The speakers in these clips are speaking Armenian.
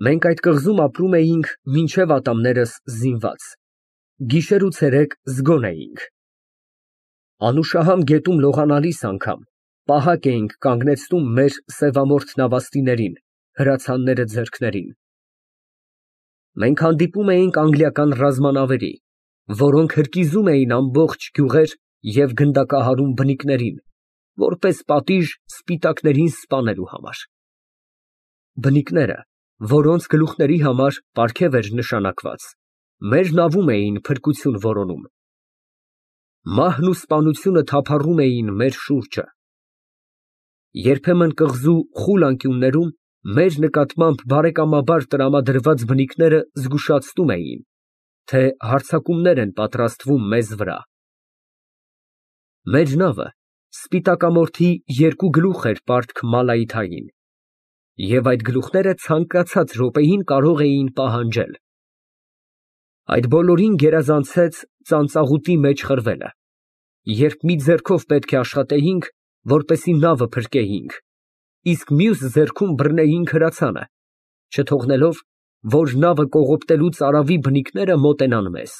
Մենք այդ կղզում ապրում էինք մինչև ատամներս զինված, գիշեր ու ցերեկ զգոն էինք։ Անուշահամ գետում լողանալիս անգամ պահակ էինք կանգնեցնում մեր սևամորթ նավաստիներին, հրացանները ձեռքներին։ Մենք հանդիպում էինք անգլիական ռազմանավերի, որոնք հրկիզում էին ամբողջ գյուղեր և գնդակահարում բնիկներին, որպես պատիժ սպիտակներին սպանելու համար։ Բնիկները, որոնց գլուխների համար պարգև էր նշանակված, մեր նավում էին փրկություն որոնում։ Մահն ու սպանությունը թափառում էին մեր շուրջը։ Երբեմն կղզու խուլ անկյուններում մեր նկատմամբ բարեկամաբար տրամադրված բնիկները զգուշացնում էին, թե հարձակումներ են պատրաստվում մեզ վրա։ Մեր նավը սպիտակամորթի երկու գլուխ էր պարտք Մալայիթային, և այդ գլուխները ցանկացած րոպեին կարող էին պահանջել։ Այդ բոլորին գերազանցեց ծանծաղուտի մեջ խրվելը, երբ մի ձեռքով պետք է աշխատեինք, որպեսզի նավը փրկեինք, իսկ մյուս ձեռքում բռնեինք հրացանը, չթողնելով, որ նավը կողոպտելուց արավի բնիկները մոտենան մեզ։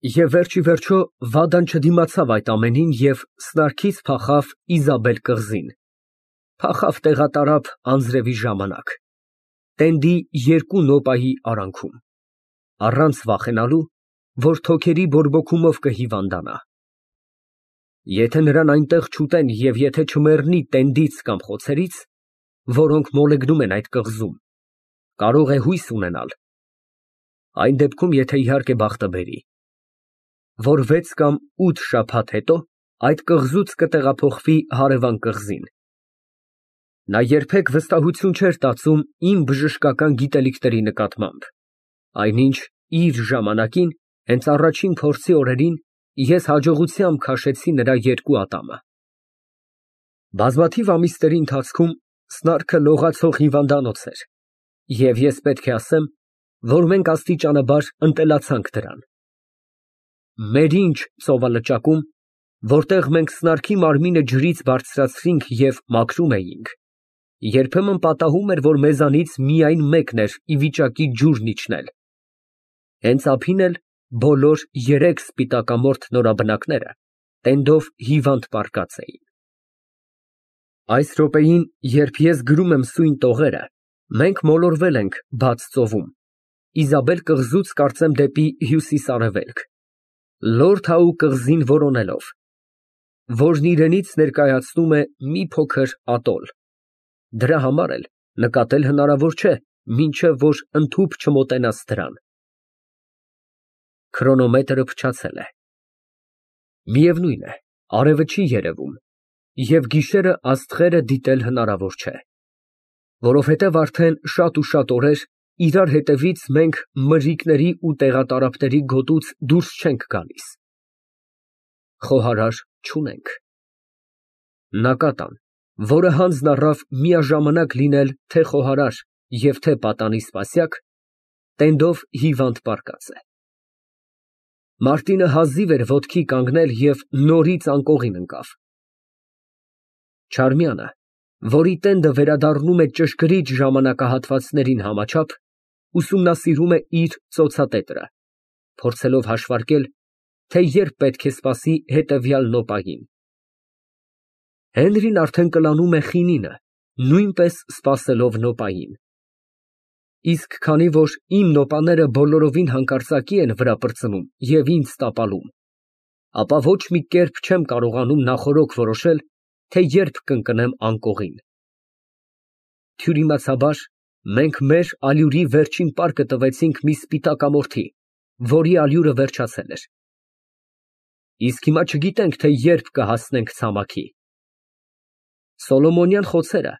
Եվ վերջիվերջո Վադան չդիմացավ այդ ամենին և սնարքից փախավ Իզաբել կղզին, փախավ տեղատարափ անձրևի ժամանակ, տենդի երկու նոպայի արանքում, առանց վախենալու, որ թոքերի բորբոքումով կհիվանդանա։ Եթե նրան այնտեղ չուտեն և եթե չմեռնի տենդից կամ խոցերից, որոնք մոլեգնում են այդ կղզում, կարող է հույս ունենալ, այն դեպքում, եթե իհարկե բախտը բերի, որ 6 կամ 8 շաբաթ հետո այդ կղզուց կտեղափոխվի հարևան կղզին։ Նա երբեք վստահություն չէր տածում իմ բժշկական գիտելիքների նկատմամբ, այնինչ իր ժամանակին, հենց առաջին փորձի օրերին, ես հաջողությամբ քաշեցի նրա երկու ատամը։ Բազմաթիվ ամիսների ընթացքում սնարքը լողացող հիվանդանոց էր, և ես պետք է ասեմ, որ մենք աստիճանաբար ընտելացանք դրան։ Մեր ինչ ծովալճակում, որտեղ մենք սնարքի մարմինը ջրից բարձրացրինք և մաքրում էինք, երբեմն պատահում էր, որ մեզանից միայն մեկն էր ի վիճակի ջուրն իջնել։ Հենց ափին էլ բոլոր 3 սպիտակամորթ նորաբնակները տենդով հիվանդ պառկած էին։ Այս րոպեին, երբ ես գրում եմ սույն տողերը, մենք մոլորվել ենք բաց ծովում, Իզաբել կղզուց կարծեմ դեպի հյուսիս֊արևելք, Լորդ Հաու կղզին որոնելով, որն իրենից ներկայացնում է մի փոքր ատոլ, դրա համար էլ նկատել հնարավոր չէ, մինչև որ ընդհուպ չմոտենաս դրան։ Քրոնոմետրը փչացել է։ Միևնույն է, արևը չի երևում, և գիշերը աստղերը դիտել հնարավոր չէ, որովհետև արդեն շատ ու շատ օրեր իրար հետևից մենք մրրիկների ու տեղատարափների գոտուց դուրս չենք գալիս։ Խոհարար չունենք։ Նակատան, որը հանձն առավ միաժամանակ լինել թե խոհարար և թե պատանի սպասյակ, տենդով հիվանդ պառկած է։ Մարտինը հազիվ էր ոտքի կանգնել և նորից անկողին ընկավ։ Չարմյանը, որի տենդը վերադառնում է ճշգրիտ ժամանակահատվածներին համաչափ, ուսումնասիրում է իր ծոցատետրը, փորձելով հաշվարկել, թե երբ պետք է սպասի հետևյալ նոպային։ Հենրին արդեն կլանում է խինինը, նույնպես սպասելով նոպային։ Իսկ քանի որ իմ նոպաները բոլորովին հանկարծակի են վրա պրծնում և ինձ տապալում, ապա ոչ մի կերպ չեմ կարողանում նախօրոք որոշել, թե երբ կընկնեմ անկողին։ Թյուրիմացաբար, մենք մեր ալյուրի վերջին պարկը տվեցինք մի սպիտակամորթի, որի ալյուրը վերջացել էր։ Իսկ հիմա չգիտենք, թե երբ կհասնենք ցամաքի։ Սոլոմոնյան խոցերը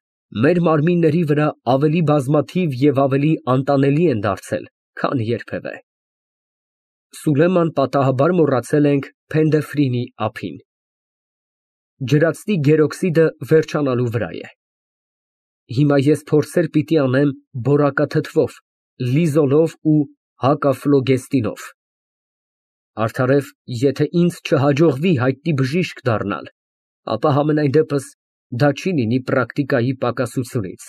մեր մարմինների վրա ավելի բազմաթիվ և ավելի անտանելի են դարձել, քան երբևէ։ Սուլեման պատահաբար մոռացել ենք Փենդեֆրինի ափին։ Ջրածնի գերօքսիդը վերջանալու վրա է։ Հիմա ես փորձեր պիտի անեմ բորակաթթվով, լիզոլով ու հակաֆլոգեստինով։ Արդարև, եթե ինձ չհաջողվի հայտնի բժիշկ դառնալ, ապա համենայն դեպս դա չի լինի պրակտիկայի պակասությունից։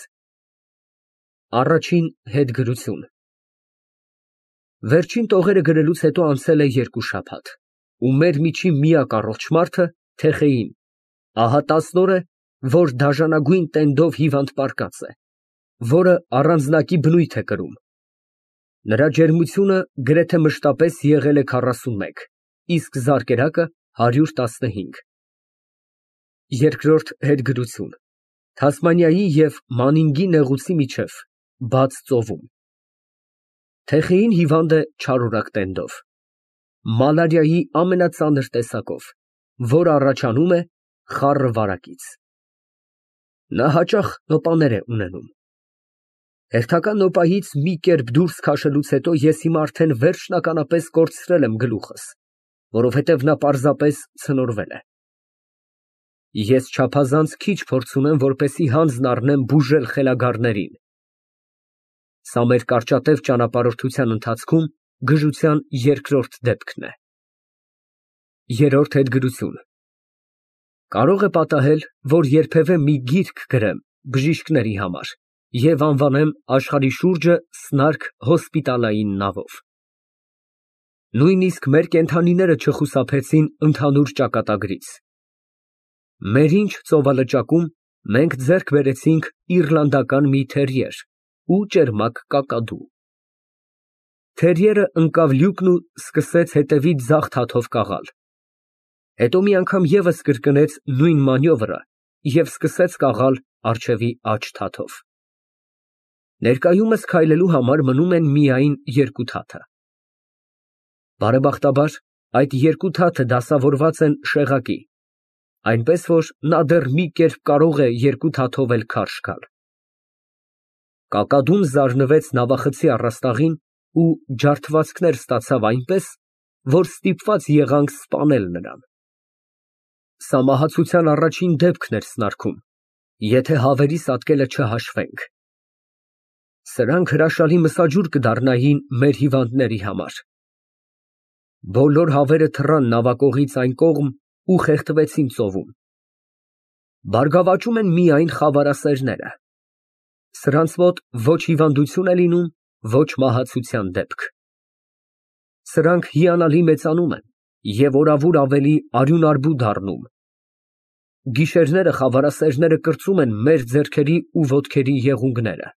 Առաջին հետգրություն։ Վերջին տողերը գրելուց հետո անցել է 2 շաբաթ, ու մեր միջին միակ առողջ մարդը Թեխեին, ահա 10 օր է, որ դաժանագույն տենդով հիվանդ պառկած է, որը առանձնակի բնույթ է կրում։ Նրա ջերմությունը գրեթե մշտապես եղել է 41, իսկ զարկերակը 115։ Երկրորդ հետգրություն։ Թասմանիայի և Մանինգի նեղուցի միջև, բաց ծովում։ Թեխեին հիվանդ է չարորակ տենդով, մալարիայի ամենածանր տեսակով, որը առաջանում է խառը վարակից։ Նա հաճախ նոպաներ է ունենում։ Հերթական նոպայից մի կերպ դուրս քաշելուց հետո ես հիմա արդեն վերջնականապես կորցրել եմ գլուխս, որովհետև նա պարզապես ցնորվել է։ Ես չափազանց քիչ փորձ ունեմ, որպեսզի հանձն առնեմ բուժել խելագարներին։ Սա մեր կարճատև ճանապարհորդության ընթացքում գժության երկրորդ դեպքն է։ Երրորդ հետգրություն։ Կարող է պատահել, որ երբևէ մի գիրք գրեմ բժիշկների համար և անվանեմ աշխարհի շուրջը սնարք հոսպիտալային նավով։ Նույնիսկ մեր կենդանիները չխուսափեցին ընդհանուր ճակատագրից։ Մեր ինչ ծովալճակում մենք ձեռք բերեցինք իռլանդական մի թերիեր ու ճերմակ կակադու։ Թերիերը ընկավ լյուկն ու սկսեց հետևից ձախ թաթով կաղալ։ Հետո մի անգամ ևս կրկնեց նույն մանյովրը և սկսեց կաղալ առջևի աջ թաթով։ Ներկայումս քայլելու համար մնում են միայն 2 թաթը։ Բարեբախտաբար, այդ 2 թաթը դասավորված են շեղակի, այնպես որ նա դեռ մի կերպ կարող է 2 թաթով էլ քարշ գալ։ Կակադուն զարնվեց նավախցի առաստաղին ու ջարդվածքներ ստացավ այնպես, որ ստիպված եղանք սպանել նրան։ Սա մահացության առաջին դեպքն էր սնարքում, եթե հավերիս ատկելը չհաշվենք։ Սրանք հրաշալի մսաջուր կդառնային մեր հիվանդների համար։ Բոլոր հավերը թռան նավակողից այն կողմ ու խեղդվեցին ծովում։ Բարգավաճում են միայն խավարասերները։ Սրանց մոտ ոչ հիվանդություն է լինում, ոչ մահացության դեպք։ Սրանք հիանալի մեծանում են և օրավուր ավելի արյունարբու դառնում։ Գիշերները խավարասերները կրծում են մեր ձեռքերի ու ոտքերի եղունգները։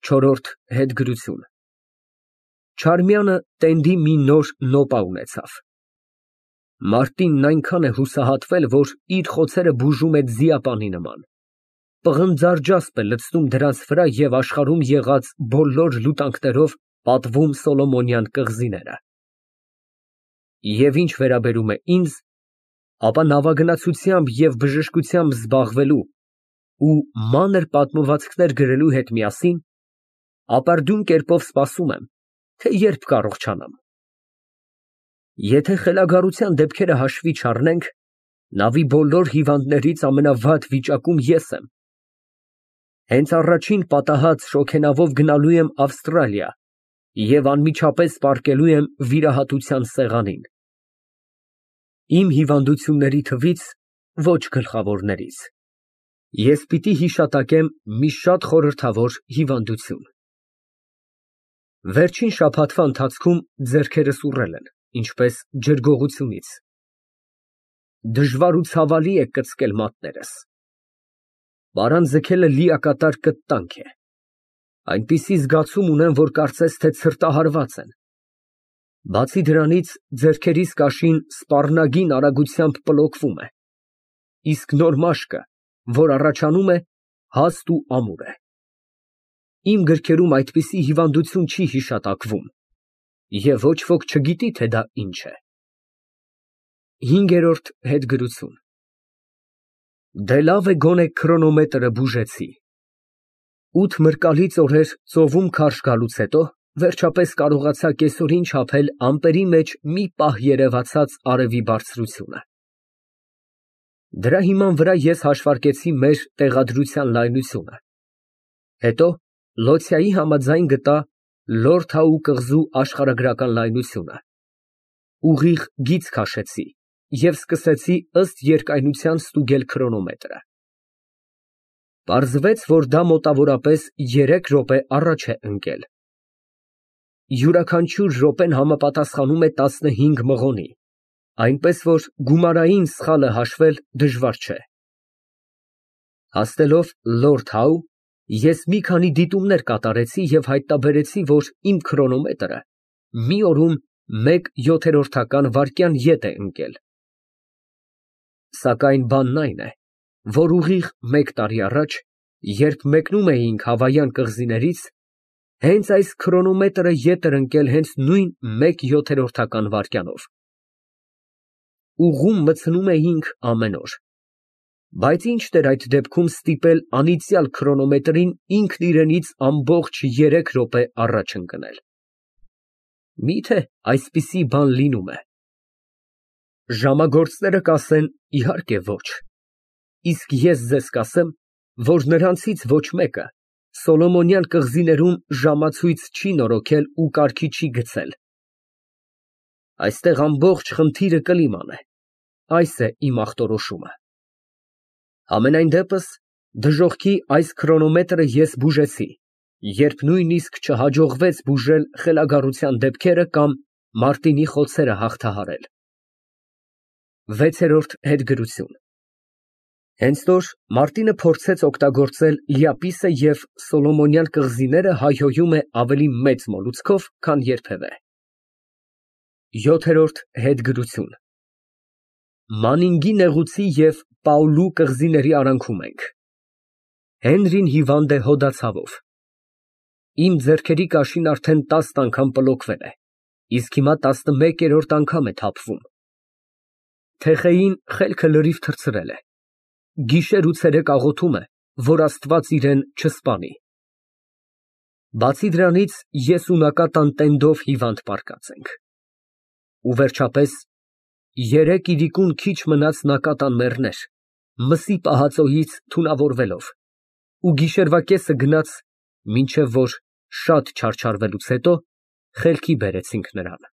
Չորրորդ հետգրություն։ Չարմյանը տենդի մի նոր նոպա ունեցավ։ Մարտինն այնքան է հուսահատվել, որ իր խոցերը բուժում է ձիապանի նման։ Պղնձառջասպ է լցնում դրանց վրա և աշխարհում եղած բոլոր լուտանքներով պատվում Սոլոմոնյան կղզիները։ Եվ ինչ վերաբերում է ինձ, ապա նավագնացությամբ և բժշկությամբ զբաղվելու ու մանր պատմվածքներ գրելու հետ միասին ապարդյուն կերպով սպասում եմ, թե երբ կառողջանամ։ Եթե խելագարության դեպքերը հաշվի չառնենք, նավի բոլոր հիվանդներից ամենավատ վիճակում ես եմ։ Հենց առաջին պատահած շոգենավով գնալու եմ Ավստրալիա և անմիջապես պառկելու եմ վիրահատության սեղանին։ Իմ հիվանդությունների թվից ոչ գլխավորներից։ Ես պիտի հիշատակեմ մի շատ խորհրդավոր հիվանդություն։ Վերջին շաբաթվա ընթացքում ձեռքերս ուռել են, ինչպես ջրգողությունից։ Դժվար ու ցավալի է կծկել մատներս։ Պարան ձգելը լիակատար կտտանք է։ Այնպիսի զգացում ունեմ, որ կարծես թե ցրտահարված են։ Բացի դրանից, ձեռքերիս կաշին սպառնագին արագությամբ պլոկվում է, իսկ նոր մաշկը, որ առաջանում է, հաստ ու ամուր է։ Իմ գրքերում այդպիսի հիվանդություն չի հիշատակվում, և ոչ ոք չգիտի, թե դա ինչ է։ Հինգերորդ հետգրություն։ Դե լավ է գոնե քրոնոմետրը բուժեցի։ 8 մրկալից օրեր ծովում քարշ գալուց հետո վերջապես կարողացա կեսօրին չափել ամպերի մեջ մի պահ երևացած արևի բարձրությունը։ Դրա հիման վրա ես հաշվարկեցի մեր տեղադրության լայնությունը։ Հետո Լոցյայի համաձայն գտա Լորդհաու կղզու աշխարհագրական լայնությունը։ Ուղիղ գիծ քաշեցի և սկսեցի ըստ երկայնության ստուգել քրոնոմետրը։ Պարզվեց, որ դա մոտավորապես 3 րոպե առաջ է ընկել։ Յուրաքանչյուր րոպեն համապատասխանում է 15 մղոնի, այնպես որ գումարային սխալը հաշվել դժվար չէ։ Հասնելով Լորդ Հաու, ես մի քանի դիտումներ կատարեցի և հայտնաբերեցի, որ իմ քրոնոմետրը մի օրում 1/7 վայրկյան ետ է ընկել։ Սակայն բանն այն է, որ ուղիղ 1 տարի առաջ, երբ մեկնում էինք Հավայան կղզիներից, հենց այս քրոնոմետրը ետ էր ընկել հենց նույն 1/7 վայրկյանով։ Ուղում մտցնում էինք ամեն օր, բայց ի՞նչ դեր այդ դեպքում ստիպել անիծյալ քրոնոմետրին ինքն իրենից ամբողջ 3 րոպե առաջ ընկնել։ Մի՞թե այսպիսի բան լինում է։ Ժամագործները կասեն, իհարկե ոչ, իսկ ես ձեզ կասեմ, որ նրանցից ոչ մեկը Սոլոմոնյան կղզիներում ժամացույց չի նորոգել ու կարգի չի գցել։ Այստեղ ամբողջ խնդիրը կլիման է, այս է իմ ախտորոշումը։ Համենայն դեպս, դժոխքի այս քրոնոմետրը ես բուժեցի, երբ նույնիսկ չհաջողվեց բուժել խելագարության դեպքերը կամ Մարտինի խոցերը հաղթահարել։ 6-րդ հետգրություն։ Հենց որ Մարտինը փորձեց օգտագործել Լիապիսը և Սոլոմոնյան կղզիները հայհոյում է ավելի մեծ մոլուցքով, քան երբևէ։ 7-րդ հետգրություն։ Մանինգի նեղուցի և Պաուլու կղզիների արանքում ենք։ Հենրին հիվանդ է հոդացավով։ Իմ ձեռքերի կաշին արդեն 10 անգամ պլոկվել է, իսկ հիմա 11-րդ անգամ է թափվում։ Թეხեին խելքը լրիվ թռցրել է, գիշեր ու ցերեկ աղոթում է, որ Աստված իրան չսպանի։ Բացի դրանից, ես ու Նակատան տենդով հիվանդ պառկած ենք։ Ու վերջապես, 3 իրիկուն քիչ մնաց Նակատան մեռներ, մսի պահածոյից թունավորվելով, ու գիշերվա կեսը գնաց, մինչև որ շատ չարչարվելուց հետո խելքի բերեցինք նրան։